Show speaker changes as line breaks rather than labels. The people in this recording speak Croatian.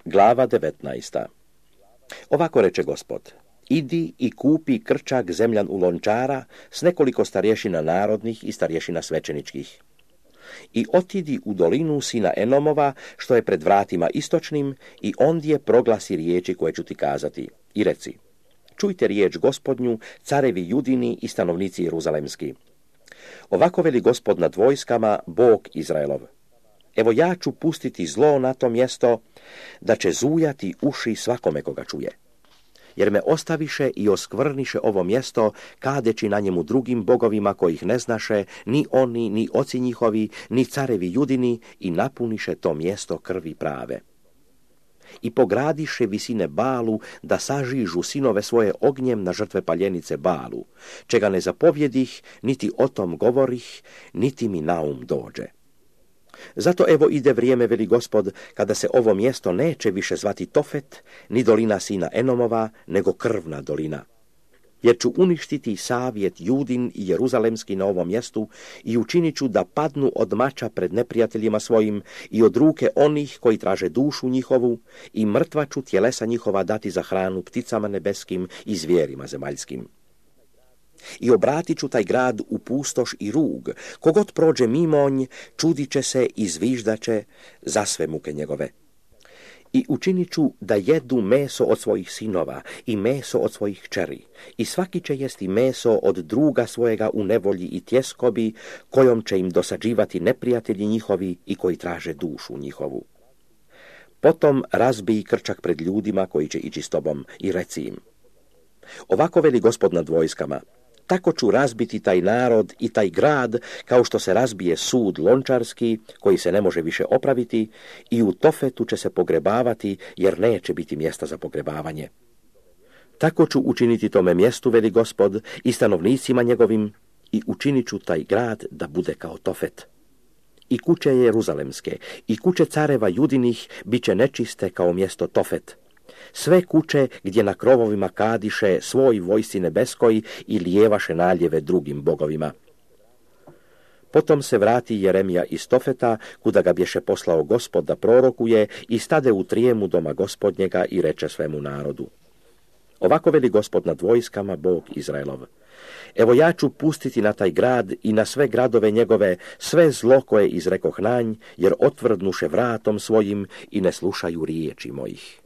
Glava 19. Ovako reče Gospod: idi i kupi krčak zemljan u Lončara s nekoliko starješina narodnih i starješina svećeničkih. I otidi u dolinu sina Enomova, što je pred vratima istočnim, i ondje proglasi riječi koje ću ti kazati. I reci: čujte riječ Gospodnju, carevi Judini i stanovnici Jeruzalemski. Ovako veli Gospod nad vojskama, Bog Izraelov: evo ja ću pustiti zlo na to mjesto, da će zujati uši svakome koga čuje. Jer me ostaviše i oskvrniše ovo mjesto, kadeći na njemu drugim bogovima kojih ne znaše, ni oni, ni oci njihovi, ni carevi Judini, i napuniše to mjesto krvi prave. I pogradiše visine Balu, da sažižu sinove svoje ognjem na žrtve paljenice Balu, čega ne zapovjedih, niti o tom govorih, niti mi na um dođe. Zato evo ide vrijeme, veli Gospod, kada se ovo mjesto neće više zvati Tofet, ni dolina sina Enomova, nego krvna dolina. Jer ću uništiti savjet Judin i Jeruzalemski na ovom mjestu i učinit ću da padnu od mača pred neprijateljima svojim i od ruke onih koji traže dušu njihovu, i mrtva ću tjelesa njihova dati za hranu pticama nebeskim i zvijerima zemaljskim. I obratit ću taj grad u pustoš i rug, kogod prođe mimonj, čudit će se i zviždaće za sve muke njegove. I učinit ću da jedu meso od svojih sinova i meso od svojih kćeri, i svaki će jesti meso od druga svojega u nevolji i tjeskobi, kojom će im dosađivati neprijatelji njihovi i koji traže dušu njihovu. Potom razbij krčak pred ljudima koji će ići s tobom i reci im: ovako veli Gospod nad vojskama: tako ću razbiti taj narod i taj grad, kao što se razbije sud lončarski, koji se ne može više opraviti, i u Tofetu će se pogrebavati, jer neće biti mjesta za pogrebavanje. Tako ću učiniti tome mjestu, veli Gospod, i stanovnicima njegovim, i učinit ću taj grad da bude kao Tofet. I kuće Jeruzalemske, i kuće careva Judinih bit će nečiste kao mjesto Tofet. Sve kuće gdje na krovovima kadiše svoj vojsci nebeskoj i lijevaše naljeve drugim bogovima. Potom se vrati Jeremija iz Tofeta, kuda ga bješe poslao Gospod da prorokuje, i stade u trijemu doma Gospodnjega i reče svemu narodu: ovako veli Gospod nad vojskama, Bog Izraelov: evo ja ću pustiti na taj grad i na sve gradove njegove sve zlo koje izrekoh na nj, jer otvrdnuše vratom svojim i ne slušaju riječi mojih.